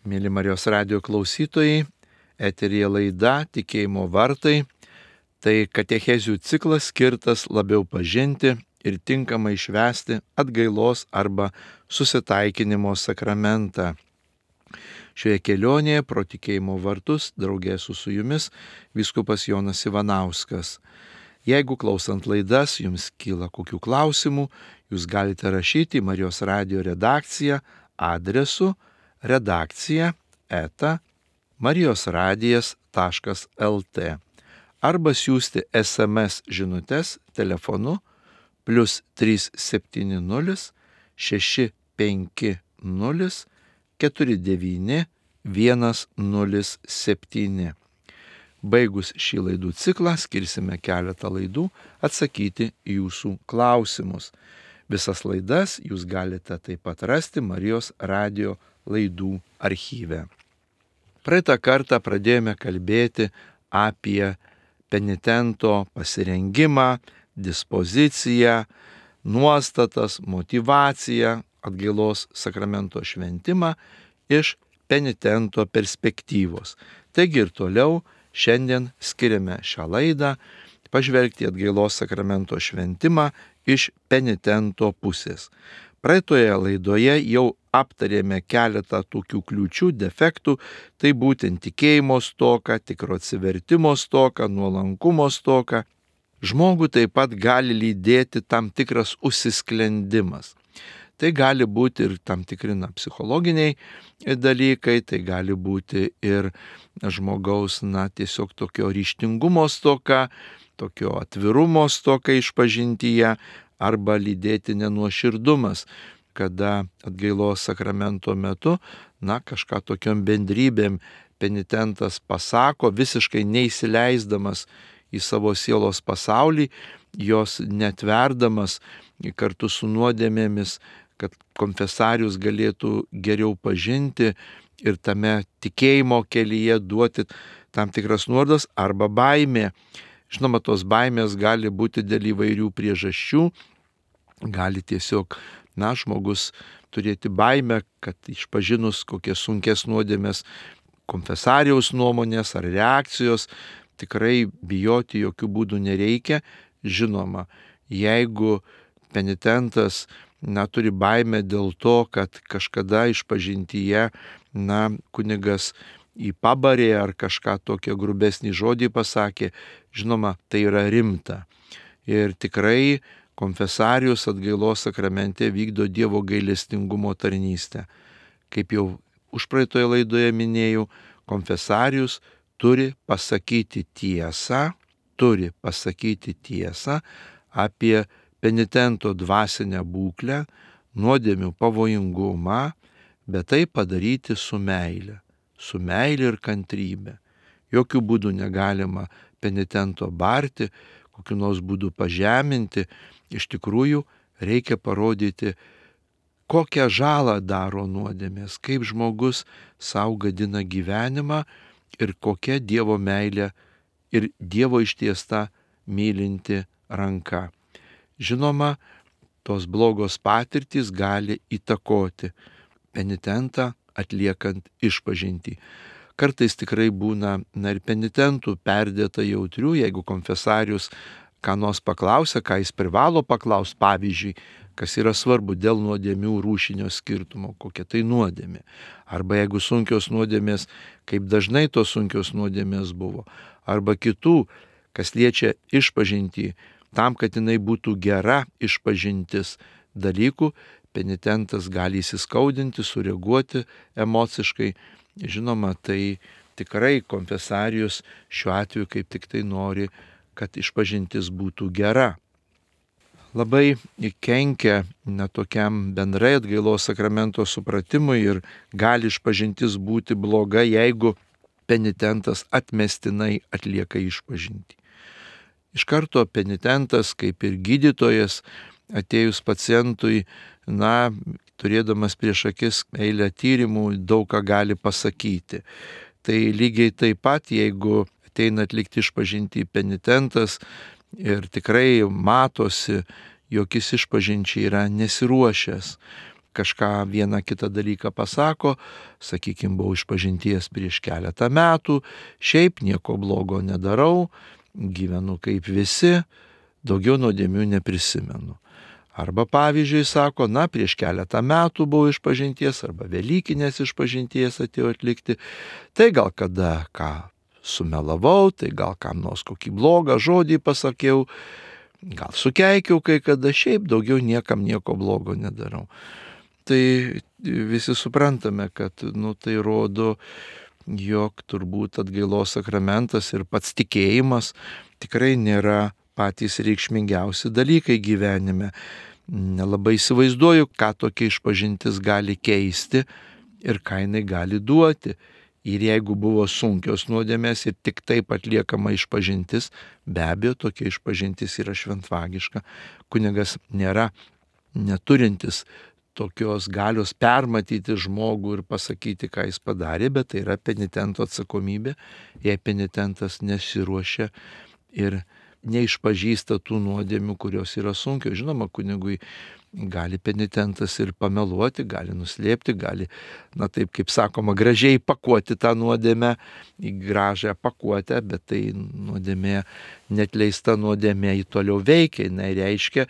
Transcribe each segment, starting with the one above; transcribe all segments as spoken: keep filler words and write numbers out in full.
Mėly Marijos radijo klausytojai, eteryje laida Tikėjimo vartai. Tai katechezių ciklas skirtas labiau pažinti ir tinkamai švęsti atgailos arba susitaikinimo sakramentą. Šioje kelionėje pro tikėjimo vartus draugė su su jumis vyskupas Jonas Ivanauskas. Jeigu klausant laidas jums kyla kokių klausimų, jūs galite rašyti į Marijos radijo redakciją adresu redakcija eta marijosradijas taškas lt arba siųsti es em es žinutes telefonu plius trys septyni nulis šeši penki nulis keturi devyni vienas nulis septyni. Baigus šį laidų ciklą skirsime keletą laidų atsakyti į jūsų klausimus. Visas laidas jūs galite taip pat rasti Marijos radijo laidų archyve. Praeitą kartą pradėjome kalbėti apie penitento pasirengimą, dispoziciją, nuostatas, motyvaciją, atgailos sakramento šventimą iš penitento perspektyvos. Taigi ir toliau šiandien skiriame šią laidą pažvelgti atgailos sakramento šventimą iš penitento pusės. Praeitoje laidoje jau aptarėme keletą tokių kliūčių, defektų, tai būtent tikėjimo stoka, tikro atsivertimo stoka, nuolankumo stoka. Žmogų taip pat gali lydėti tam tikras užsisklendimas. Tai gali būti ir tam tikri na, psichologiniai dalykai, tai gali būti ir žmogaus na, tiesiog tokio ryžtingumo stoka, tokio atvirumo stoka išpažintyje arba lydėti nenuoširdumas, kada atgailos sakramento metu na, kažką tokiom bendrybėm penitentas pasako, visiškai neįsileisdamas į savo sielos pasaulį, jos netverdamas kartu su nuodėmėmis, kad konfesarius galėtų geriau pažinti ir tame tikėjimo kelyje duoti tam tikras nuorodas arba baimė. Žinoma, tos baimės gali būti dėl įvairių priežasčių, gali tiesiog, na, žmogus turėti baimę, kad išpažinus kokias sunkes nuodėmės konfesariaus nuomonės ar reakcijos, tikrai bijoti jokių būdų nereikia. Žinoma, jeigu penitentas na, turi baimę dėl to, kad kažkada išpažintyje, na, kunigas į pabarė ar kažką tokią grubesnį žodį pasakė, žinoma, tai yra rimta. Ir tikrai konfesarius atgailos sakramente vykdo Dievo gailestingumo tarnystę. Kaip jau užpraeitoje laidoje minėjau, konfesarius turi pasakyti tiesą, turi pasakyti tiesą apie penitento dvasinę būklę, nuodėmių pavojingumą, bet tai padaryti su meile, su meile ir kantrybė. Jokių būdų negalima penitento barti, kokiu nors būdu pažeminti. Iš tikrųjų reikia parodyti, kokią žalą daro nuodėmės, kaip žmogus sau gadina gyvenimą ir kokia Dievo meilė ir Dievo ištiesta mylinti ranka. Žinoma, tos blogos patirtys gali įtakoti penitentą atliekant išpažintį. Kartais tikrai būna na, ir penitentų perdėta jautrių, jeigu konfesarius ką nors paklausia, ką jis privalo paklausti, pavyzdžiui, kas yra svarbu dėl nuodėmių rūšinio skirtumo, kokia tai nuodėmė. Arba jeigu sunkios nuodėmės, kaip dažnai tos sunkios nuodėmės buvo. Arba kitų, kas liečia išpažintį, tam, kad jinai būtų gera išpažintis dalykų, penitentas gali įsiskaudinti, sureaguoti emociškai. Žinoma, tai tikrai konfesarius šiuo atveju kaip tik tai nori, kad išpažintis būtų gera. Labai kenkia netokiam bendrai atgailos sakramento supratimui ir gali išpažintis būti bloga, jeigu penitentas atmestinai atlieka išpažintį. Iš karto penitentas, kaip ir gydytojas, atėjus pacientui, na, turėdamas prieš akis eilę tyrimų, daug ką gali pasakyti. Tai lygiai taip pat, jeigu ateina atlikti išpažintį penitentas ir tikrai matosi, jog jis išpažinčiai yra nesiruošęs, kažką vieną kitą dalyką pasako, sakykime, buvau išpažinties prieš keletą metų, šiaip nieko blogo nedarau, gyvenu kaip visi, daugiau nuodėmių neprisimenu. Arba pavyzdžiui sako, na, prieš keletą metų buvau išpažinties arba Velykinės išpažinties atėjau atlikti, tai gal kada ką sumelavau, tai gal kam nors kokį blogą žodį pasakiau, gal sukeikiau kai kada, šiaip daugiau niekam nieko blogo nedarau. Tai visi suprantame, kad nu, tai rodo, jog turbūt atgailos sakramentas ir pats tikėjimas tikrai nėra patys reikšmingiausi dalykai gyvenime. Nelabai įsivaizduoju, ką tokia išpažintis gali keisti ir ką jinai gali duoti. Ir jeigu buvo sunkios nuodėmės ir tik taip atliekama išpažintis, be abejo, tokia išpažintis yra šventvagiška. Kunigas nėra neturintis tokios galios permatyti žmogų ir pasakyti, ką jis padarė, bet tai yra penitento atsakomybė, jei penitentas nesiruošia ir neišpažįsta tų nuodėmių, kurios yra sunkios. Žinoma, kunigui gali penitentas ir pameluoti, gali nuslėpti, gali, na taip kaip sakoma, gražiai pakuoti tą nuodėmę į gražią pakuotę, bet tai nuodėmė, netleista nuodėmė į toliau veikia, jinai reiškia,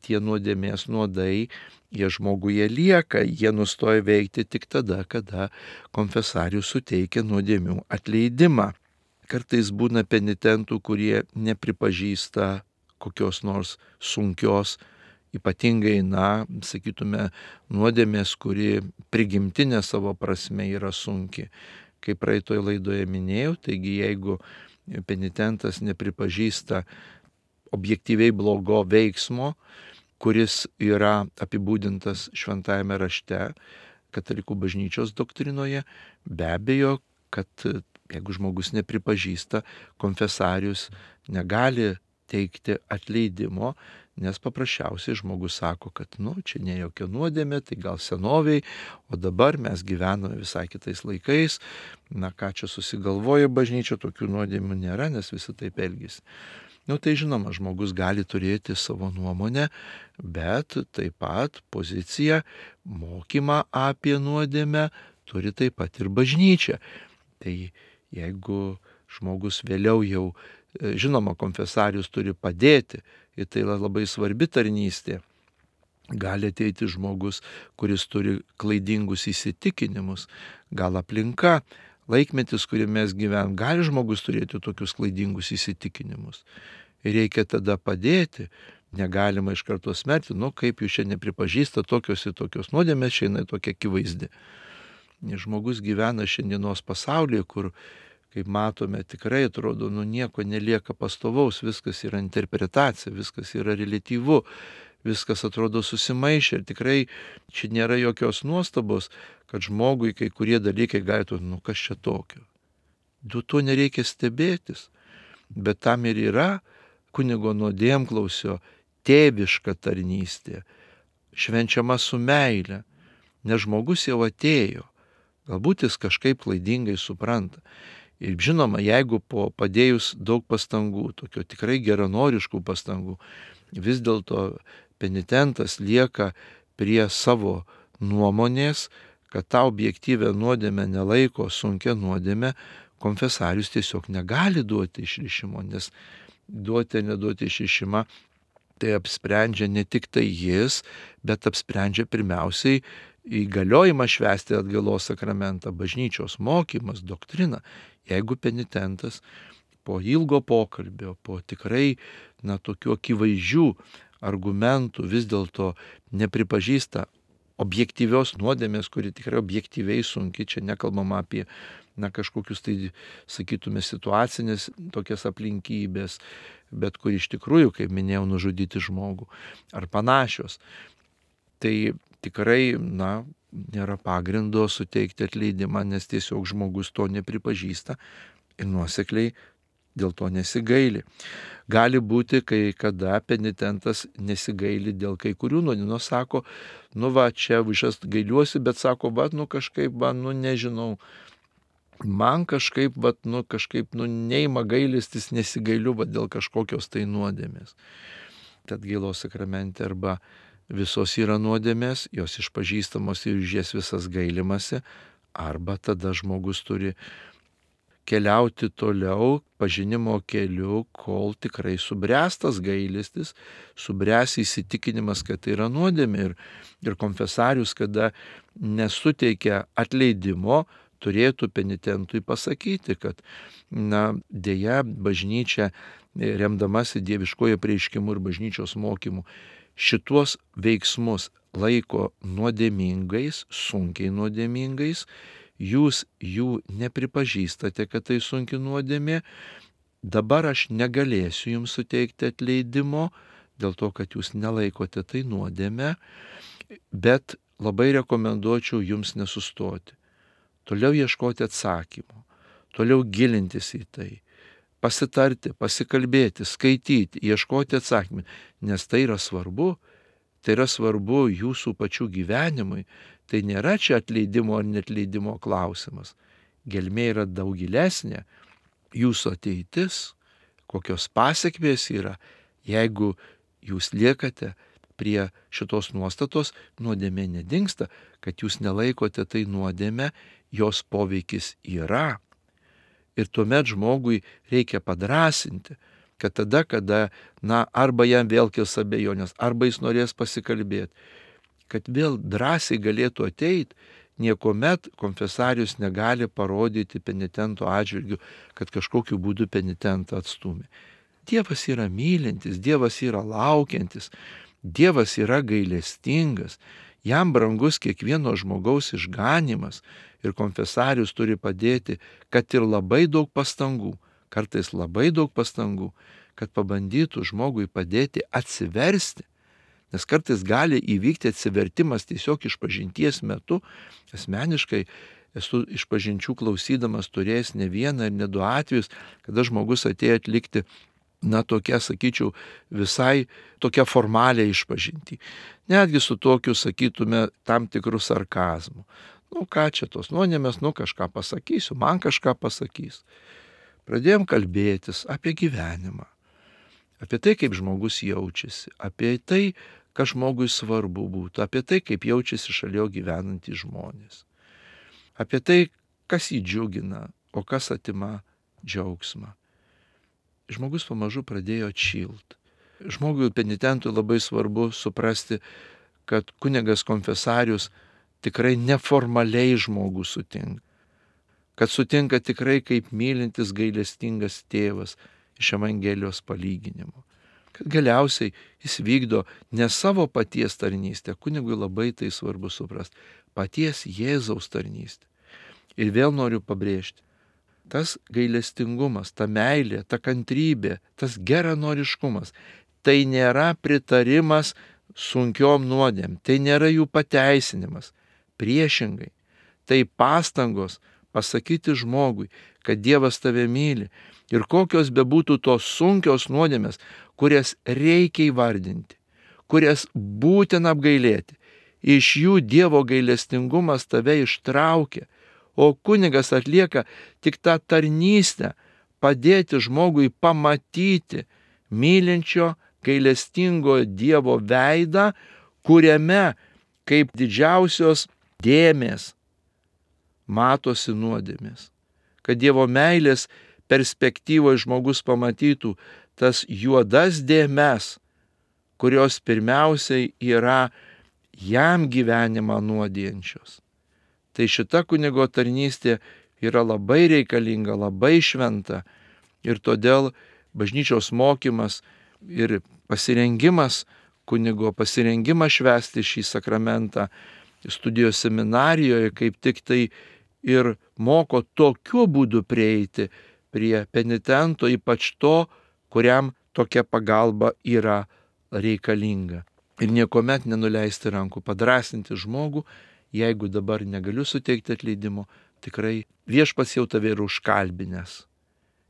tie nuodėmės nuodai, jie žmoguje lieka, jie nustoja veikti tik tada, kada konfesarius suteikia nuodėmių atleidimą. Kartais būna penitentų, kurie nepripažįsta kokios nors sunkios, ypatingai, na, sakytume, nuodėmės, kuri prigimtinė savo prasme yra sunki. Kaip praeitoje laidoje minėjau, taigi jeigu penitentas nepripažįsta objektyviai blogo veiksmo, kuris yra apibūdintas šventajame rašte, katalikų bažnyčios doktrinoje, be abejo, kad jeigu žmogus nepripažįsta, konfesarius negali teikti atleidimo, nes paprasčiausiai žmogus sako, kad nu, čia ne jokia nuodėmė, tai gal senoviai, o dabar mes gyvename visai kitais laikais, na ką čia susigalvoja bažnyčia, tokių nuodėmių nėra, nes visi taip elgėsi. Nu tai žinoma, žmogus gali turėti savo nuomonę, bet taip pat poziciją, mokymą apie nuodėmę turi taip pat ir bažnyčia. Tai jeigu žmogus vėliau jau, žinoma, konfesarius turi padėti, ir tai labai svarbi tarnystė, gali ateiti žmogus, kuris turi klaidingus įsitikinimus, gal aplinka, laikmetis, kurį mes gyvenam, gali žmogus turėti tokius klaidingus įsitikinimus. Ir reikia tada padėti, negalima iš karto smerkti, nu kaip jūs čia nepripažįsta tokios ir tokios nuodėmės, šiandien tokia akivaizdi. Žmogus gyvena šiandienos pasaulyje, kur, kaip matome, tikrai atrodo, nu nieko nelieka pastovaus, viskas yra interpretacija, viskas yra reliatyvu, viskas atrodo susimaišę ir tikrai čia nėra jokios nuostabos, kad žmogui kai kurie dalykai galėtų, nu kas čia tokio. Du to nereikia stebėtis, bet tam ir yra kunigo nuodėmklausio tėviška tarnystė, švenčiama su meile, nes žmogus jau atėjo, galbūt jis kažkaip klaidingai supranta. Ir žinoma, jeigu po padėjus daug pastangų, tokio tikrai geranoriškų pastangų, vis dėlto penitentas lieka prie savo nuomonės, kad tą objektyvę nuodėmę nelaiko sunkia nuodėmė, konfesarius tiesiog negali duoti išrišimo, nes duoti ar neduoti išrišimą tai apsprendžia ne tik tai jis, bet apsprendžia pirmiausiai įgaliojimą švęsti atgailos sakramentą, bažnyčios mokymas, doktrina. Jeigu penitentas po ilgo pokalbio, po tikrai na, tokių akivaizdžių argumentų vis dėlto nepripažįsta objektyvios nuodėmės, kuri tikrai objektyviai sunki, čia nekalbama apie na, kažkokius tai, sakytume, situacinės tokias aplinkybės, bet kur iš tikrųjų, kaip minėjau, nužudyti žmogų ar panašios. Tai tikrai, na, nėra pagrindo suteikti atleidimą, nes tiesiog žmogus to nepripažįsta ir nuosekliai dėl to nesigaili. Gali būti, kai kada penitentas nesigaili dėl kai kurių nuodėmių, sako, nu va, čia aš gailiuosi, bet sako, va, nu kažkaip, va, nu nežinau, man kažkaip, va, nu kažkaip, nu neima gailestis, nesigailiu, va, dėl kažkokios tai nuodėmės. Tad atgailos sakramente arba visos yra nuodėmės, jos išpažįstamos ir už jas visas gailimasi, arba tada žmogus turi keliauti toliau pažinimo keliu, kol tikrai subręstas gailestis, subręs įsitikinimas, kad tai yra nuodėmė. Ir, ir konfesarius, kada nesuteikia atleidimo, turėtų penitentui pasakyti, kad, na, dėja, bažnyčia, remdamasi dieviškojo prieiškimu ir bažnyčios mokymu, šituos veiksmus laiko nuodėmingais, sunkiai nuodėmingais, jūs jų nepripažįstate, kad tai sunki nuodėmė, dabar aš negalėsiu jums suteikti atleidimo, dėl to, kad jūs nelaikote tai nuodėmę, bet labai rekomenduočiau jums nesustoti. Toliau ieškoti atsakymų, toliau gilintis į tai, pasitarti, pasikalbėti, skaityti, ieškoti atsakymų, nes tai yra svarbu, tai yra svarbu jūsų pačių gyvenimui. Tai nėra čia atleidimo ar netleidimo klausimas. Gelmė yra daug gilesnė. Jūsų ateitis, kokios pasiekmės yra, jeigu jūs liekate prie šitos nuostatos, nuodėmė nedingsta, kad jūs nelaikote tai nuodėmė, jos poveikis yra. Ir tuomet žmogui reikia padrąsinti, kad tada, kada, na, arba jam vėl kils abejonės, arba jis norės pasikalbėti, kad vėl drąsiai galėtų ateiti, niekuomet konfesarius negali parodyti penitento atžvilgiu, kad kažkokiu būdu penitentą atstumė. Dievas yra mylintis, Dievas yra laukiantis, Dievas yra gailestingas, jam brangus kiekvieno žmogaus išganimas ir konfesarius turi padėti, kad ir labai daug pastangų, kartais labai daug pastangų, kad pabandytų žmogui padėti atsiversti. Nes kartais gali įvykti atsivertimas tiesiog išpažinties metu. Asmeniškai esu išpažinčių klausydamas turėjęs ne vieną ir ne du atvejus, kada žmogus atėjo atlikti, na, tokia, sakyčiau, visai tokia formalią išpažintį. Netgi su tokiu, sakytume, tam tikrų sarkazmų. Nu, ką čia tos nuodėmės, nu, kažką pasakysiu, man kažką pasakys. Pradėjom kalbėtis apie gyvenimą, apie tai, kaip žmogus jaučiasi, apie tai, kas žmogui svarbu būtų, apie tai, kaip jaučiasi šalia gyvenantys žmonės, apie tai, kas jį džiugina, o kas atima džiaugsmą. Žmogus pamažu pradėjo atšilti. Žmogui penitentui labai svarbu suprasti, kad kunigas konfesarius tikrai neformaliai žmogų sutinka, kad sutinka tikrai kaip mylintis gailestingas tėvas iš Evangelijos palyginimo. Kad galiausiai jis vykdo ne savo paties tarnystę, kunigui labai tai svarbu suprasti, paties Jėzaus tarnystę. Ir vėl noriu pabrėžti, tas gailestingumas, ta meilė, ta kantrybė, tas geranoriškumas, tai nėra pritarimas sunkiom nuodėm, tai nėra jų pateisinimas. Priešingai, tai pastangos pasakyti žmogui, kad Dievas tave myli ir kokios bebūtų tos sunkios nuodėmės, kurias reikia įvardinti, kurias būtina apgailėti. Iš jų Dievo gailestingumas tave ištraukia, o kunigas atlieka tik tą tarnystę, padėti žmogui pamatyti mylinčio, gailestingo Dievo veidą, kuriame kaip didžiausios dėmės matosi nuodėmės. Kad Dievo meilės perspektyvoje žmogus pamatytų tas juodas dėmes, kurios pirmiausiai yra jam gyvenimą nuodijančios. Tai šita kunigo tarnystė yra labai reikalinga, labai šventa ir todėl bažnyčios mokymas ir pasirengimas kunigo, pasirengimas švęsti šį sakramentą studijos seminarijoje kaip tik tai ir moko tokiu būdu prieiti prie penitento, ypač to, kuriam tokia pagalba yra reikalinga. Ir niekuomet nenuleisti rankų, padrąsinti žmogų, jeigu dabar negaliu suteikti atleidimo, tikrai viešpats jau tave yra užkalbinęs.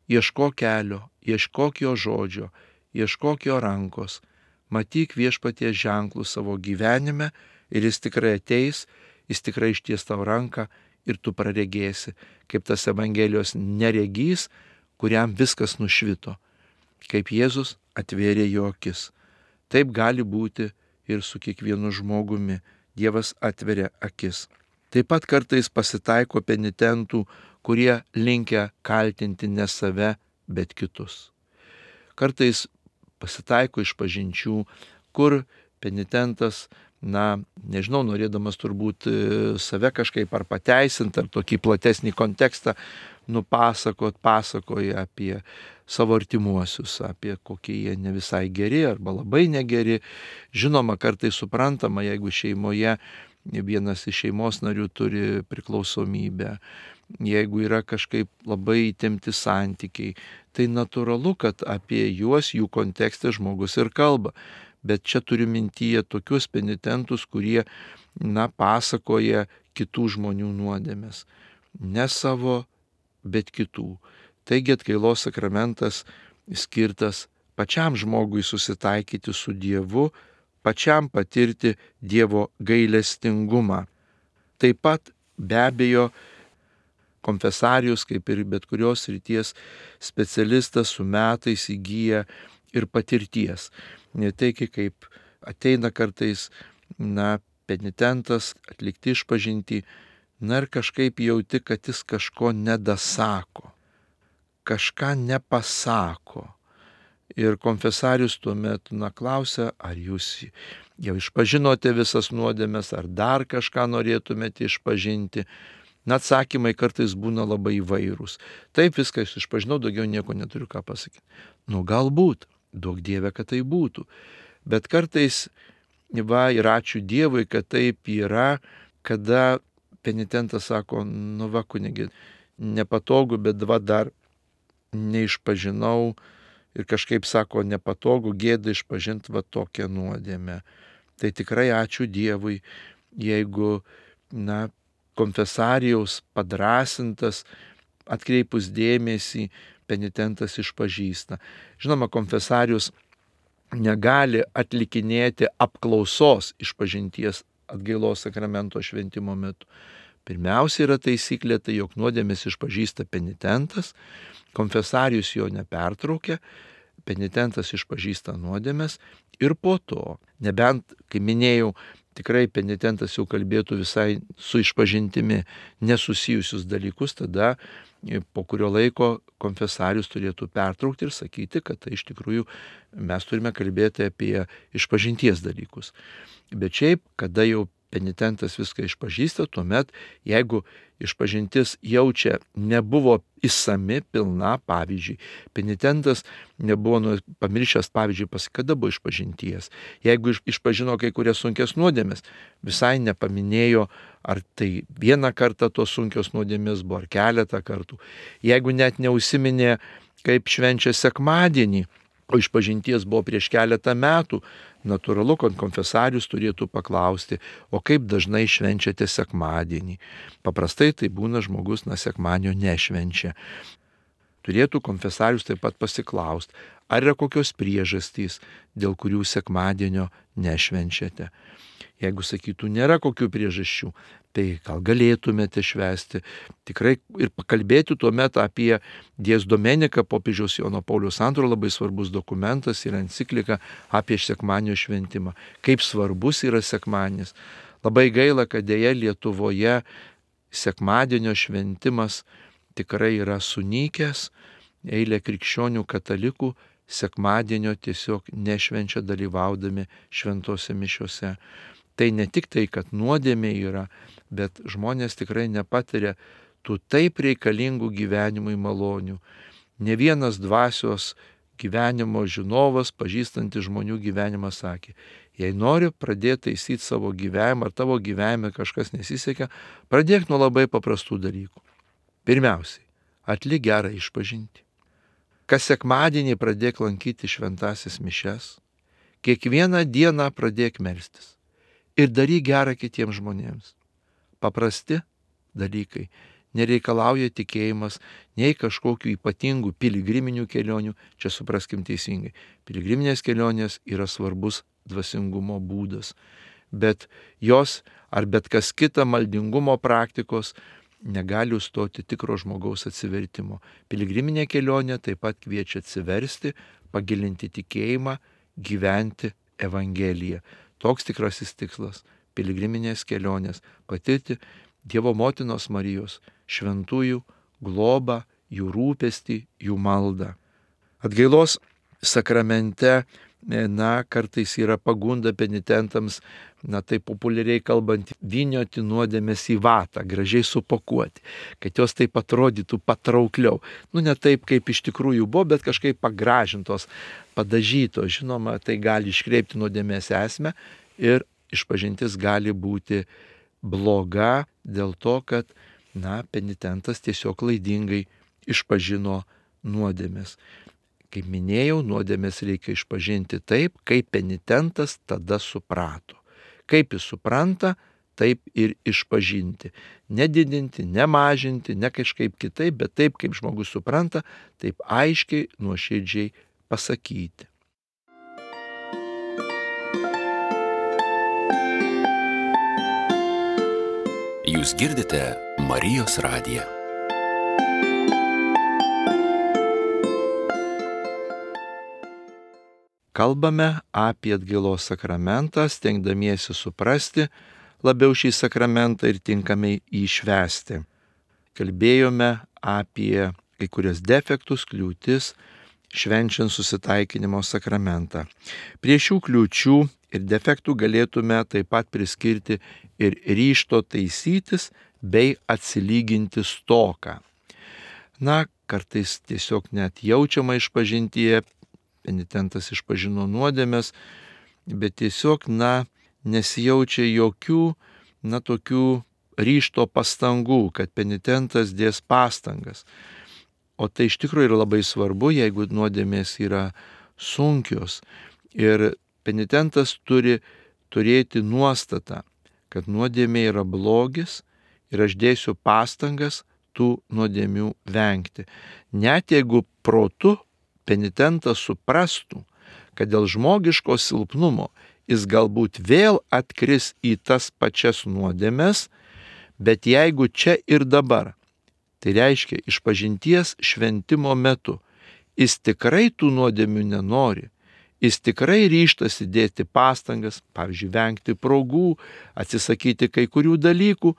Ieškok kelio, ieškok jo žodžio, ieškok jo rankos, matyk viešpaties ženklų savo gyvenime ir jis tikrai ateis, jis tikrai išties tau ranką ir tu praregėsi, kaip tas Evangelijos neregys, kuriam viskas nušvito, kaip Jėzus atvėrė jo akis. Taip gali būti ir su kiekvienu žmogumi. Dievas atveria akis. Taip pat kartais pasitaiko penitentų, kurie linkę kaltinti ne save, bet kitus. Kartais pasitaiko išpažinčių, kur penitentas, na, nežinau, norėdamas turbūt save kažkaip ar pateisinti, ar tokį platesnį kontekstą nupasakot, pasakoja apie savo artimuosius, apie kokie jie ne visai geri arba labai negeri. Žinoma, kartais suprantama, jeigu šeimoje vienas iš šeimos narių turi priklausomybę, jeigu yra kažkaip labai įtempti santykiai, tai natūralu, kad apie juos, jų kontekste žmogus ir kalba. Bet čia turiu mintyje tokius penitentus, kurie, na, pasakoja kitų žmonių nuodėmes. Ne savo, bet kitų. Taigi atgailos sakramentas skirtas pačiam žmogui susitaikyti su Dievu, pačiam patirti Dievo gailestingumą. Taip pat be abejo konfesarijus, kaip ir bet kurios srities specialistas, su metais įgyja ir patirties. Ne tai, kaip ateina kartais, na, penitentas atlikti išpažintį, na ir kažkaip jauti, kad jis kažko nedasako, kažką nepasako. Ir konfesarius tuomet, na, klausia, ar jūs jau išpažinote visas nuodėmes, ar dar kažką norėtumėte išpažinti. Na, atsakymai kartais būna labai įvairūs. Taip, viską išpažinau, daugiau nieko neturiu ką pasakyti. Nu, galbūt, duok Dieve, kad tai būtų. Bet kartais, va, ir ačiū Dievui, kad taip yra, kada penitentas sako, nu va, kunigi, nepatogu, bet va dar neišpažinau ir kažkaip sako, nepatogu, gėda išpažinti va tokią nuodėmę. Tai tikrai ačiū Dievui, jeigu, na, konfesarijaus padrasintas, atkreipus dėmesį, penitentas išpažįsta. Žinoma, konfesarius negali atlikinėti apklausos išpažinties atgailos sakramento šventimo metu. Pirmiausia yra taisyklė, tai jog nuodėmes išpažįsta penitentas, konfesarius jo nepertraukia, penitentas išpažįsta nuodėmes ir po to, nebent, kaip minėjau, tikrai penitentas jau kalbėtų visai su išpažintimi nesusijusius dalykus, tada po kurio laiko konfesarius turėtų pertraukti ir sakyti, kad tai iš tikrųjų mes turime kalbėti apie išpažinties dalykus. Bet šiaip, kada jau penitentas viską išpažįsta, tuomet, jeigu išpažintis jaučia nebuvo išsami, pilna, pavyzdžiui, penitentas nebuvo nu, pamiršęs, pavyzdžiui, pas kada buvo išpažinties, jeigu išpažino kai kurias sunkias nuodėmes, visai nepaminėjo, ar tai vieną kartą tos sunkios nuodėmės buvo, ar keletą kartų, jeigu net neužsiminė, kaip švenčia sekmadienį, o išpažinties buvo prieš keletą metų, natūralu, kad konfesarius turėtų paklausti, o kaip dažnai švenčiate sekmadienį. Paprastai tai būna žmogus, na, sekmadienio nešvenčia. Turėtų konfesarius taip pat pasiklausti, ar yra kokios priežastys, dėl kurių sekmadienio nešvenčiate. Jeigu sakytų, nėra kokių priežasčių, tai gal galėtumėte švęsti. Tikrai ir pakalbėti tuomet apie Dies Domeniką, popiežiaus Jono Pauliaus antrojo labai svarbus dokumentas ir enciklika apie sekmadienio šventimą. Kaip svarbus yra sekmadienis. Labai gaila, kad dėja Lietuvoje sekmadienio šventimas tikrai yra sunykęs. Eilė krikščionių katalikų sekmadienio tiesiog nešvenčia dalyvaudami šventose mišiose. Tai ne tik tai, kad nuodėmė yra, bet žmonės tikrai nepatiria tų taip reikalingų gyvenimui malonių. Ne vienas dvasios gyvenimo žinovas, pažįstantis žmonių gyvenimą, sakė, jei nori pradėti taisyti savo gyvenimą, ar tavo gyvenime kažkas nesisekė, pradėk nuo labai paprastų dalykų. Pirmiausiai, atlik gerą išpažintį. Kas sekmadienį pradėk lankyti šventąsias mišias, kiekvieną dieną pradėk melstis. Ir daryk gerą kitiems žmonėms. Paprasti dalykai. Nereikalauja tikėjimas nei kažkokių ypatingų piligriminių kelionių. Čia supraskim teisingai. Piligriminės kelionės yra svarbus dvasingumo būdas. Bet jos ar bet kas kita maldingumo praktikos negali užstoti tikro žmogaus atsivertimo. Piligriminė kelionė taip pat kviečia atsiversti, pagilinti tikėjimą, gyventi Evangeliją. toks tikrasis tikslas - piligriminės kelionės, patirti Dievo motinos Marijos, šventųjų globą, jų rūpestį, jų maldą. Atgailos sakramente, na, kartais yra pagunda penitentams, na, tai populiariai kalbant, vynioti nuodėmės į vatą, gražiai supakuoti, kad jos taip atrodytų patraukliau. Nu, ne taip, kaip iš tikrųjų buvo, bet kažkaip pagražintos, padažytos. Žinoma, tai gali iškreipti nuodėmės esmę ir išpažintis gali būti bloga dėl to, kad, na, penitentas tiesiog klaidingai išpažino nuodėmės. Kaip minėjau, nuodėmės reikia išpažinti taip, kaip penitentas tada suprato. Kaip jis supranta, taip ir išpažinti. Nedidinti, nemažinti, ne kažkaip kitaip, bet taip, kaip žmogus supranta, taip aiškiai, nuoširdžiai pasakyti. Jūs girdite Marijos radiją. Kalbame apie atgailos sakramentą, stengdamiesi suprasti labiau šį sakramentą ir tinkamai jį švęsti. Kalbėjome apie kai kurias defektus, kliūtis, švenčiant susitaikinimo sakramentą. Prie šių kliūčių ir defektų galėtume taip pat priskirti ir ryžto taisytis bei atsilyginti stoką. Na, kartais tiesiog net jaučiama išpažintyje, penitentas išpažino nuodėmes, bet tiesiog, na, nesijaučia jokių, na, tokių ryžto pastangų, kad penitentas dės pastangas. O tai iš tikrųjų yra labai svarbu, jeigu nuodėmės yra sunkios. Ir penitentas turi turėti nuostatą, kad nuodėmė yra blogis ir aš dėsiu pastangas tų nuodėmių vengti. Net jeigu protu penitentas suprastų, kad dėl žmogiško silpnumo jis galbūt vėl atkris į tas pačias nuodėmes, bet jeigu čia ir dabar, tai reiškia išpažinties šventimo metu, jis tikrai tų nuodėmių nenori, jis tikrai ryžtasi dėti pastangas, pavyzdžiui, vengti progų, atsisakyti kai kurių dalykų,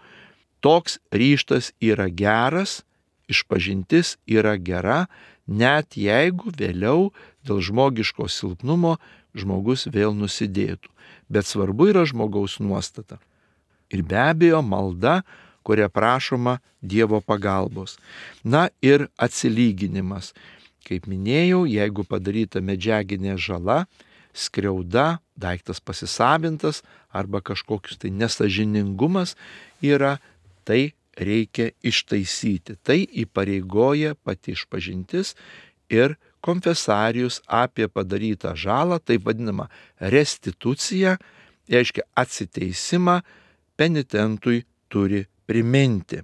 toks ryžtas yra geras, išpažintis yra gera, net jeigu vėliau dėl žmogiško silpnumo žmogus vėl nusidėtų. Bet svarbu yra žmogaus nuostata. Ir be abejo malda, kuria prašoma Dievo pagalbos. Na ir atsilyginimas. Kaip minėjau, jeigu padaryta medžiaginė žala, skriauda, daiktas pasisavintas arba kažkokius tai nesažiningumas yra, tai reikia ištaisyti. Tai įpareigoja pati išpažintis ir konfesarijus apie padarytą žalą, taip vadinama restitucija, reiškia atsiteisimą, penitentui turi priminti.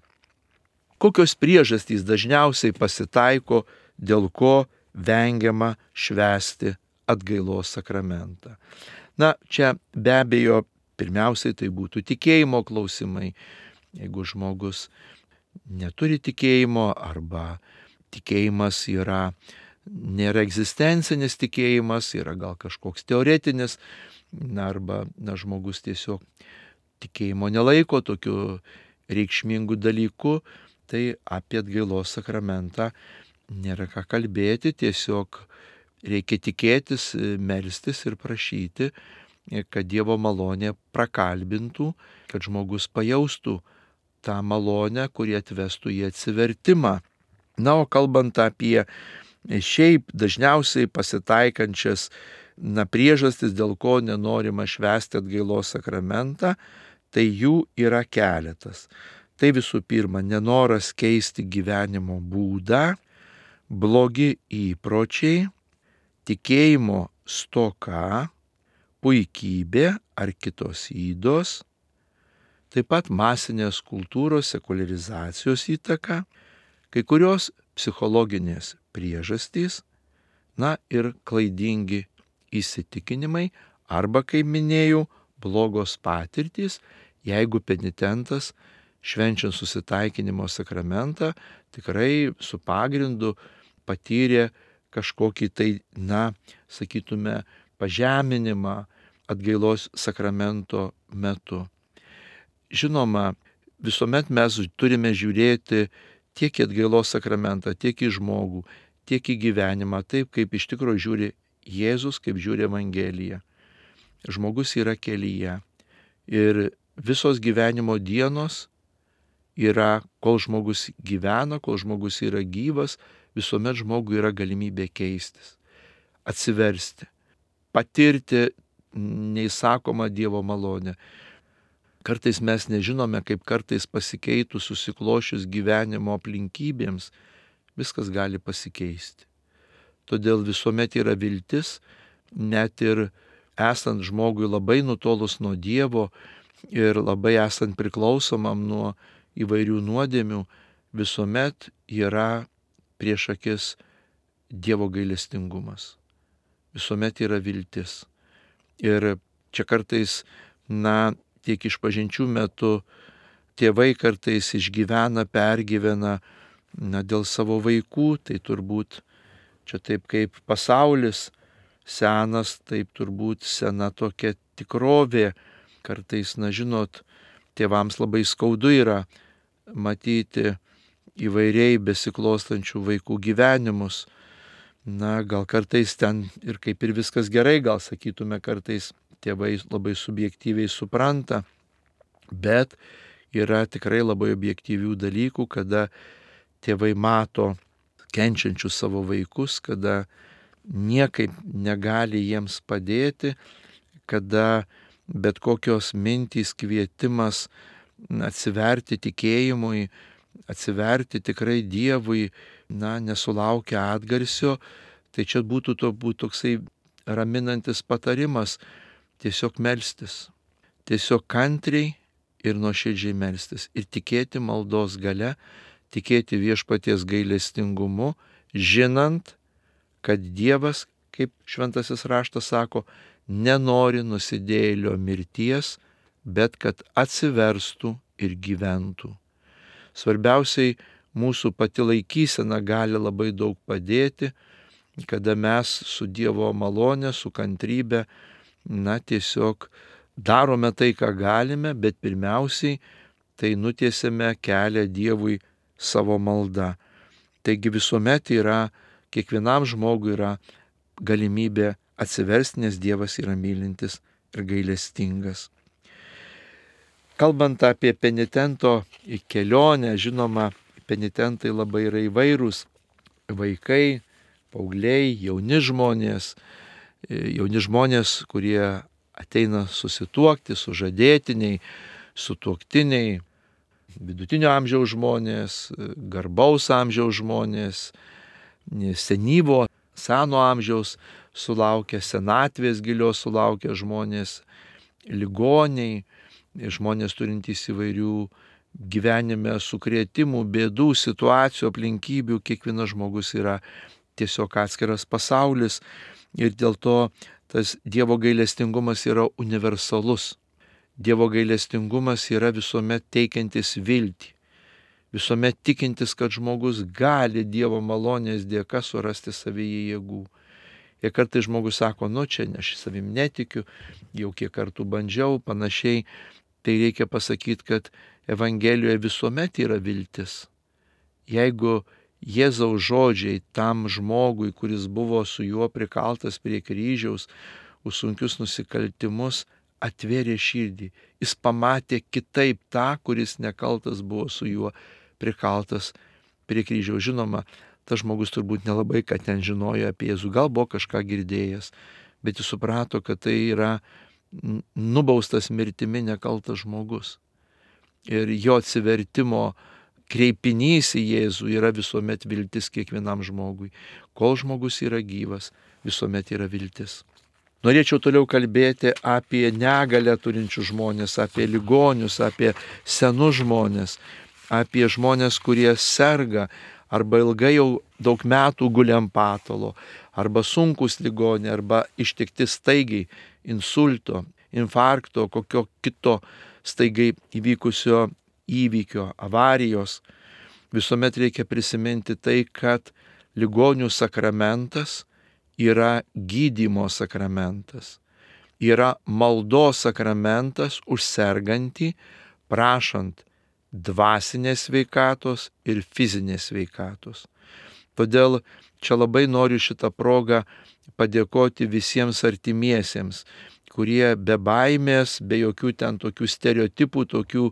Kokios priežastys dažniausiai pasitaiko, dėl ko vengiama švęsti atgailos sakramentą? Na, čia be abejo, pirmiausiai tai būtų tikėjimo klausimai. Jeigu žmogus neturi tikėjimo arba tikėjimas yra, nėra egzistencinis tikėjimas, yra gal kažkoks teoretinis, na, arba na, žmogus tiesiog tikėjimo nelaiko tokiu reikšmingu dalyku, tai apie atgailos sakramentą nėra ką kalbėti, tiesiog reikia tikėtis, melstis ir prašyti, kad Dievo malonė prakalbintų, kad žmogus pajaustų tą malonę, kuri atvestų į atsivertimą. Na, o kalbant apie šiaip dažniausiai pasitaikančias na, priežastis, dėl ko nenorima švęsti atgailos sakramentą, tai jų yra keletas. Tai visų pirma, nenoras keisti gyvenimo būdą, blogi įpročiai, tikėjimo stoka, puikybė ar kitos ydos, taip pat masinės kultūros sekuliarizacijos įtaka, kai kurios psichologinės priežastys, na ir klaidingi įsitikinimai arba, kaip minėjau, blogos patirtys, jeigu penitentas švenčiant susitaikinimo sakramentą tikrai su pagrindu patyrė kažkokį tai, na, sakytume, pažeminimą atgailos sakramento metu. Žinoma, visuomet mes turime žiūrėti tiek į atgailos sakramentą, tiek į žmogų, tiek į gyvenimą, taip kaip iš tikrųjų žiūri Jėzus, kaip žiūri Evangelija. Žmogus yra kelyje ir visos gyvenimo dienos yra, kol žmogus gyvena, kol žmogus yra gyvas, visuomet žmogui yra galimybė keistis, atsiversti, patirti neįsakomą Dievo malonę. Kartais mes nežinome, kaip kartais pasikeitus, susiklošius gyvenimo aplinkybėms, viskas gali pasikeisti. Todėl visuomet yra viltis, net ir esant žmogui labai nutolus nuo Dievo ir labai esant priklausomam nuo įvairių nuodėmių, visuomet yra prieš akis Dievo gailestingumas. Visuomet yra viltis. Ir čia kartais, na, tiek išpažinčių metu tėvai kartais išgyvena, pergyvena, na, dėl savo vaikų, tai turbūt čia taip kaip pasaulis senas, taip turbūt sena tokia tikrovė. Kartais, na, žinot, tėvams labai skaudu yra matyti įvairiai besiklostančių vaikų gyvenimus. Na, gal kartais ten ir kaip ir viskas gerai, gal sakytume, kartais tėvai labai subjektyviai supranta, bet yra tikrai labai objektyvių dalykų, kada tėvai mato kenčiančius savo vaikus, kada niekaip negali jiems padėti, kada bet kokios mintys, kvietimas atsiverti tikėjimui, atsiverti tikrai Dievui, na, nesulaukia atgarsio, tai čia būtų to būtų toksai raminantis patarimas tiesiog melstis, tiesiog kantriai ir nuoširdžiai melstis ir tikėti maldos gale, tikėti viešpaties gailestingumu, žinant, kad Dievas, kaip šventasis raštas sako, nenori nusidėjėlio mirties, bet kad atsiverstų ir gyventų. Svarbiausiai mūsų pati laikysena gali labai daug padėti, kada mes su Dievo malone, su kantrybe, na, tiesiog darome tai, ką galime, bet pirmiausiai tai nutiesiame kelią Dievui savo malda. Taigi visuomet yra, kiekvienam žmogui yra galimybė atsiversti, nes Dievas yra mylintis ir gailestingas. Kalbant apie penitento kelionę, žinoma, penitentai labai yra įvairūs. Vaikai, paaugliai, jauni žmonės, jauni žmonės, kurie ateina susituokti, sužadėtiniai, sutuoktiniai, vidutinio amžiaus žmonės, garbaus amžiaus žmonės, senyvo, seno amžiaus sulaukę, senatvės gilios sulaukę žmonės, ligoniai, žmonės turintys įvairių gyvenime sukrėtimų, bėdų, situacijų, aplinkybių. Kiekvienas žmogus yra tiesiog atskiras pasaulis ir dėl to tas Dievo gailestingumas yra universalus. Dievo gailestingumas yra visuomet teikiantis viltį, visuomet tikintis, kad žmogus gali Dievo malonės dėka surasti savyje jėgų. Ir kartais žmogus sako, nu čia aš savim netikiu, jau kiek kartų bandžiau, panašiai. Tai reikia pasakyti, kad Evangelijoje visuomet yra viltis. Jeigu Jėzaus žodžiai tam žmogui, kuris buvo su juo prikaltas prie kryžiaus, už sunkius nusikaltimus, atvėrė širdį. Jis pamatė kitaip tą, kuris nekaltas buvo su juo prikaltas prie kryžiaus. Žinoma, tas žmogus turbūt nelabai ką ten žinojo apie Jėzų, gal buvo kažką girdėjęs, bet jis suprato, kad tai yra nubaustas mirtimi nekaltas žmogus. Ir jo atsivertimo kreipinys į Jėzų yra visuomet viltis kiekvienam žmogui. Kol žmogus yra gyvas, visuomet yra viltis. Norėčiau toliau kalbėti apie negalę turinčių žmonės, apie ligonius, apie senus žmonės, apie žmonės, kurie serga arba ilgai jau daug metų guli ant patalo, arba sunkus ligoniai, arba ištikti staigiai insulto, infarkto, kokio kito staigiai įvykusio įvykio, avarijos. Visuomet reikia prisiminti tai, kad ligonių sakramentas yra gydymo sakramentas. yra maldos sakramentas už sergantį, prašant dvasinės sveikatos ir fizinės sveikatos. Todėl čia labai noriu šitą progą padėkoti visiems artimiesiems, kurie be baimės, be jokių ten tokių stereotipų, tokių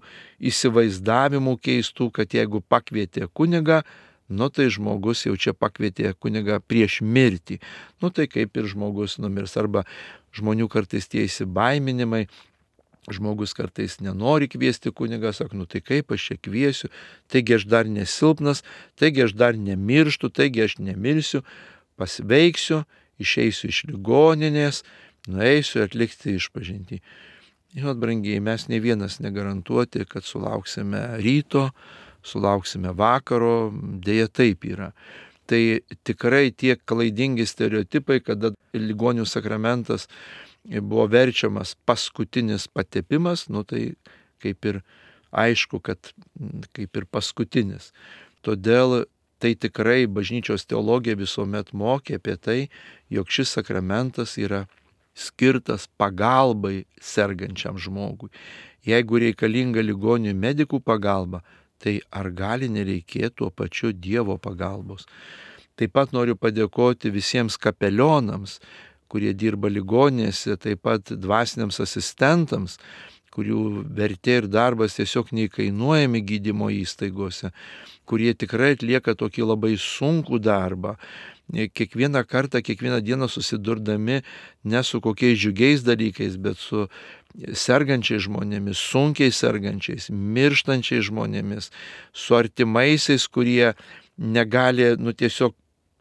įsivaizdavimų keistų, kad jeigu pakvietė kunigą, nu tai žmogus jau čia pakvietė kunigą prieš mirtį. Nu tai kaip ir žmogus numirs. Arba žmonių kartais tie įsibaiminimai, žmogus kartais nenori kviesti kunigą, sako, nu tai kaip aš čia kviesiu, taigi aš dar nesilpnas, taigi aš dar nemirštu, taigi aš nemirsiu, pasveiksiu, išeisiu iš ligoninės, nueisiu atlikti išpažintį. Žinot, brangiai, mes ne vienas negarantuoti, kad sulauksime ryto, sulauksime vakaro, dėja taip yra. Tai tikrai tie klaidingi stereotipai, kada ligonių sakramentas buvo verčiamas paskutinis patepimas, nu tai kaip ir aišku, kad kaip ir paskutinis. Todėl tai tikrai bažnyčios teologija visuomet mokė apie tai, jog šis sakramentas yra skirtas pagalbai sergančiam žmogui. Jeigu reikalinga ligonių medikų pagalba, tai ar gali nereikėti tuo pačiu Dievo pagalbos. Taip pat noriu padėkoti visiems kapelionams, kurie dirba ligoninėse, taip pat dvasiniams asistentams, kurių vertė ir darbas tiesiog neįkainuojami gydymo įstaigose, kurie tikrai atlieka tokį labai sunkų darbą. Kiekvieną kartą, kiekvieną dieną susidurdami ne su kokiais džiugiais dalykais, bet su sergančiais žmonėmis, sunkiai sergančiais, mirštančiais žmonėmis, su artimaisiais, kurie negali, nu tiesiog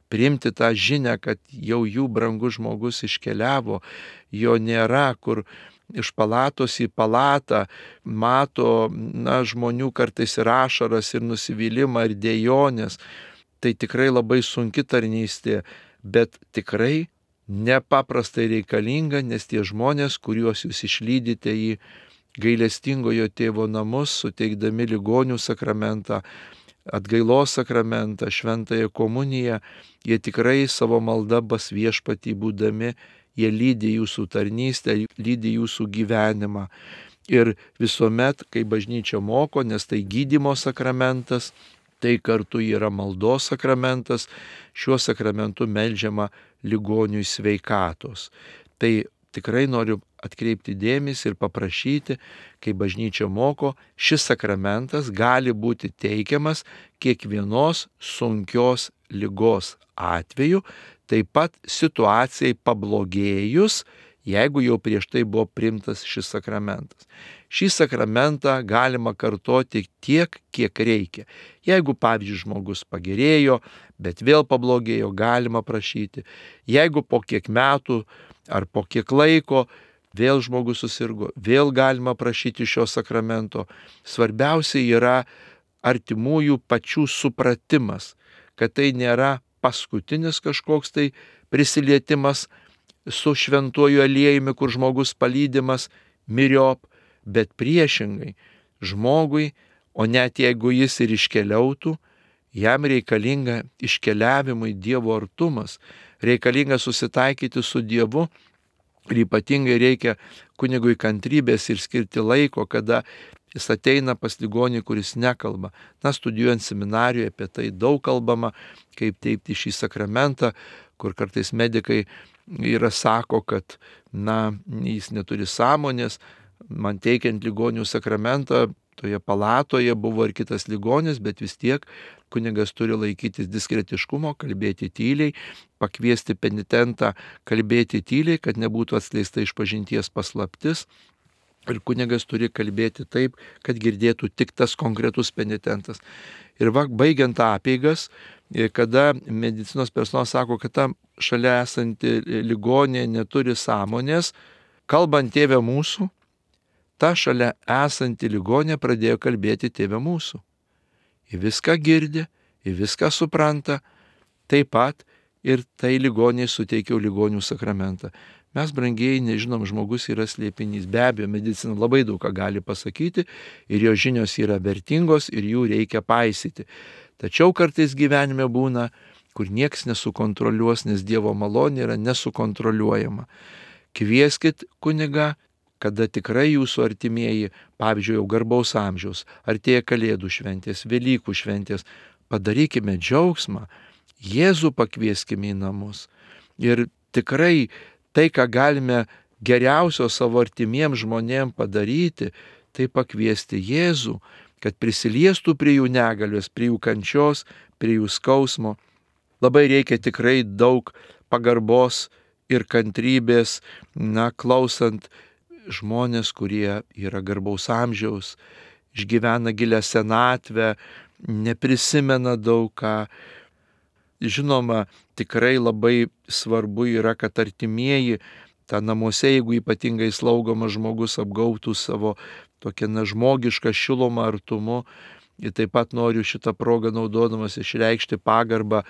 priimti tą žinią, kad jau jų brangus žmogus iškeliavo, jo nėra, kur iš palatos į palatą mato, na, žmonių kartais ir ašaras, ir nusivylimą, ir dejonės. Tai tikrai labai sunki tarnystė, bet tikrai nepaprastai reikalinga, nes tie žmonės, kuriuos jūs išlydite į gailestingojo tėvo namus, suteikdami ligonių sakramentą, atgailos sakramentą, šventąją komuniją, jie tikrai savo malda pas viešpatį būdami, jie lydi jūsų tarnystę, lydi jūsų gyvenimą. Ir visuomet, kai bažnyčia moko, nes tai gydymo sakramentas, tai kartu yra maldos sakramentas, šiuo sakramentu meldžiama ligoniui sveikatos. Tai tikrai noriu atkreipti dėmesį ir paprašyti, kai bažnyčia moko, šis sakramentas gali būti teikiamas kiekvienos sunkios ligos atveju, taip pat situacijai pablogėjus, jeigu jau prieš tai buvo priimtas šis sakramentas. Šį sakramentą galima kartoti tiek, kiek reikia. Jeigu, pavyzdžiui, žmogus pagerėjo, bet vėl pablogėjo, galima prašyti. Jeigu po kiek metų ar po kiek laiko vėl žmogus susirgo, vėl galima prašyti šio sakramento. Svarbiausia yra artimųjų pačių supratimas, kad tai nėra paskutinis kažkoks tai prisilietimas su šventuoju aliejumi, kur žmogus palydimas miriop, bet priešingai žmogui, o net jeigu jis ir iškeliautų, jam reikalinga iškeliavimui Dievo artumas, reikalinga susitaikyti su Dievu ir ypatingai reikia kunigui kantrybės ir skirti laiko, kada jis ateina pas ligonį, kuris nekalba. Na, studijuojant seminarijoje apie tai daug kalbama, kaip teikti šį sakramentą, kur kartais medikai yra sako, kad, na, jis neturi sąmonės. Man teikiant ligonių sakramentą, toje palatoje buvo ir kitas ligonis, bet vis tiek kunigas turi laikytis diskretiškumo, kalbėti tyliai, pakviesti penitentą kalbėti tyliai, kad nebūtų atskleista išpažinties paslaptis. Ir kunigas turi kalbėti taip, kad girdėtų tik tas konkretus penitentas. Ir va, baigiant apeigas, kada medicinos personalas sako, kad ta šalia esanti ligonė neturi sąmonės, kalbant Tėve mūsų, ta šalia esanti ligonė pradėjo kalbėti Tėve mūsų. Ji viską girdi, ji viską supranta, taip pat ir tai ligoniai suteikiau ligonių sakramentą. Mes, brangieji, nežinom, žmogus yra slėpinys. Be abejo, medicina labai daug ką gali pasakyti ir jo žinios yra vertingos ir jų reikia paisyti. Tačiau kartais gyvenime būna, kur nieks nesukontroliuos, nes Dievo malonė yra nesukontroliuojama. Kvieskit kunigą, kada tikrai jūsų artimieji, pavyzdžiui, jau garbaus amžiaus, artėja Kalėdų šventės, Velykų šventės, padarykime džiaugsmą, Jėzų pakvieskime į namus. Ir tikrai tai, ką galime geriausio savo artimiems žmonėms padaryti, tai pakviesti Jėzų, kad prisiliestų prie jų negalios, prie jų kančios, prie jų skausmo. Labai reikia tikrai daug pagarbos ir kantrybės, na, klausant žmonės, kurie yra garbaus amžiaus, išgyvena gilią senatvę, neprisimena daug ką. Žinoma, tikrai labai svarbu yra, kad artimieji, tą namuose, jeigu ypatingai slaugomas žmogus, apgautų savo tokią nežmogišką šilumą, artumu. Ir taip pat noriu šitą progą naudodamas išreikšti pagarbą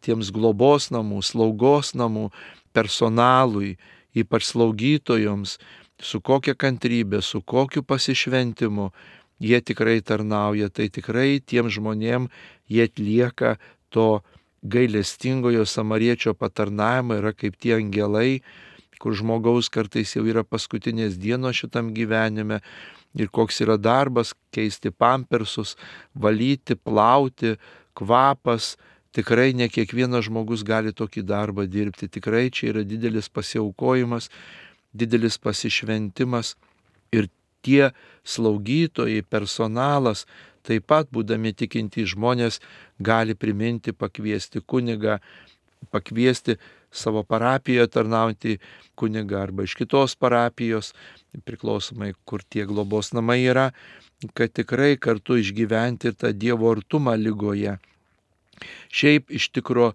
tiems globos namų, slaugos namų personalui, ypač slaugytojoms, su kokia kantrybė, su kokiu pasišventimu jie tikrai tarnauja. Tai tikrai tiem žmonėm jie atlieka to gailestingojo samariečio patarnavimą, yra kaip tie angelai, kur žmogaus kartais jau yra paskutinės dienos šitam gyvenime ir koks yra darbas keisti pampersus, valyti, plauti, kvapas. Tikrai ne kiekvienas žmogus gali tokį darbą dirbti. Tikrai čia yra didelis pasiaukojimas, didelis pasišventimas. Ir tie slaugytojai, personalas, taip pat būdami tikintys žmonės, gali priminti, pakviesti kunigą, pakviesti savo parapijoje tarnaujantį kunigą arba iš kitos parapijos, priklausomai kur tie globos namai yra, kad tikrai kartu išgyventi ir tą Dievo artumą ligoje. Šiaip iš tikro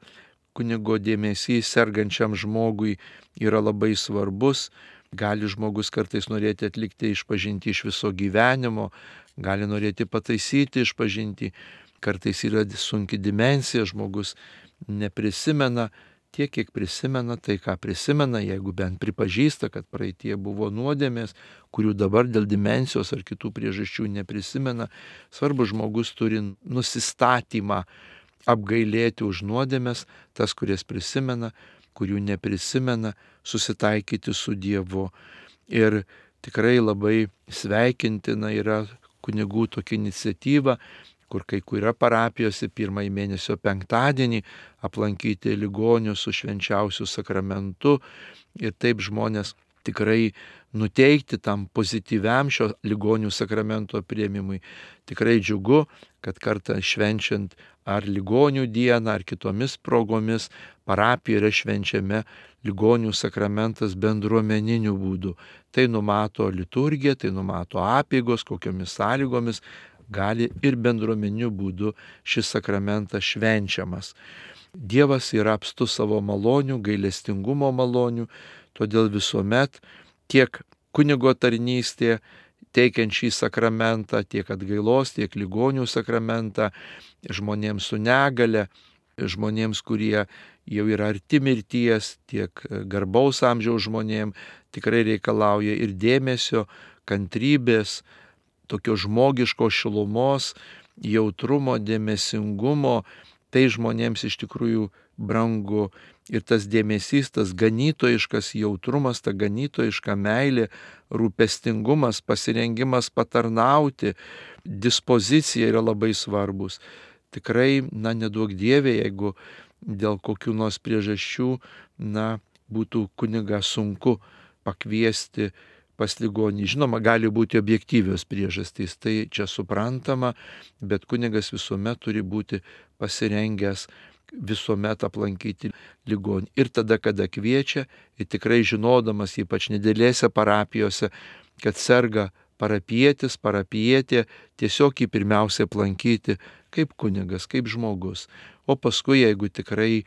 kunigo dėmesys sergančiam žmogui yra labai svarbus. Gali žmogus kartais norėti atlikti išpažintį iš viso gyvenimo, gali norėti pataisyti išpažintį, kartais yra sunki dimensija, žmogus neprisimena tiek, kiek prisimena, tai ką prisimena, jeigu bent pripažįsta, kad praeitie buvo nuodėmės, kurių dabar dėl dimensijos ar kitų priežasčių neprisimena. Svarbu, žmogus turi nusistatymą apgailėti už nuodėmės, tas, kurias prisimena, kurių neprisimena, susitaikyti su Dievu. Ir tikrai labai sveikintina yra kunigų tokia iniciatyva, kur kai kuria parapijose pirmąjį mėnesio penktadienį aplankyti ligonius su švenčiausiu sakramentu ir taip žmonės tikrai nuteikti tam pozityviam šio ligonių sakramento priėmimui. Tikrai džiugu, kad kartą švenčiant ar ligonių dieną, ar kitomis progomis parapijoje yra švenčiame ligonių sakramentas bendruomeniniu būdu. Tai numato liturgija, tai numato apeigos, kokiomis sąlygomis gali ir bendruomeniniu būdu šis sakramentas švenčiamas. Dievas yra apstus savo malonių, gailestingumo malonių, todėl visuomet tiek kunigo tarnystė, teikiant šį sakramentą, tiek atgailos, tiek ligonių sakramentą, žmonėms su negale, žmonėms, kurie jau yra arti mirties, tiek garbaus amžiaus žmonėms, tikrai reikalauja ir dėmesio, kantrybės, tokio žmogiško šilumos, jautrumo, dėmesingumo. Tai žmonėms iš tikrųjų brangu. Ir tas dėmesys, tas ganytojiškas jautrumas, ta ganytojiška meilė, rūpestingumas, pasirengimas patarnauti, dispozicija yra labai svarbus. Tikrai, na, neduok Dieve, jeigu dėl kokių nors priežasčių, na, būtų kunigą sunku pakviesti pas ligonį. Žinoma, gali būti objektyvios priežastys, tai čia suprantama, bet kunigas visuomet turi būti pasirengęs visuomet aplankyti ligonį. Ir tada, kada kviečia, ir tikrai žinodamas, ypač nedėlėse parapijose, kad serga parapietis, parapietė, tiesiog jį pirmiausia aplankyti kaip kunigas, kaip žmogus. O paskui, jeigu tikrai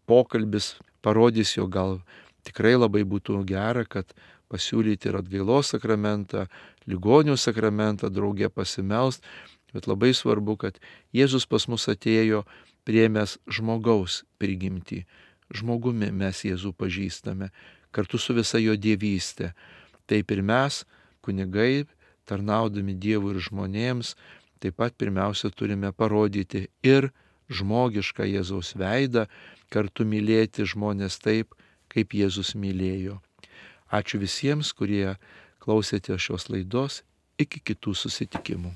pokalbis parodys, jo gal tikrai labai būtų gera, kad pasiūlyti ir atgailos sakramentą, ligonių sakramentą, drauge pasimelst, bet labai svarbu, kad Jėzus pas mus atėjo priėmęs žmogaus prigimtį. Žmogumi mes Jėzų pažįstame, kartu su visa jo dievystė. Taip ir mes, kunigai, tarnaudami Dievui ir žmonėms, taip pat pirmiausia turime parodyti ir žmogišką Jėzaus veidą, kartu mylėti žmonės taip, kaip Jėzus mylėjo. Ačiū visiems, kurie klausėte šios laidos. Iki kitų susitikimų.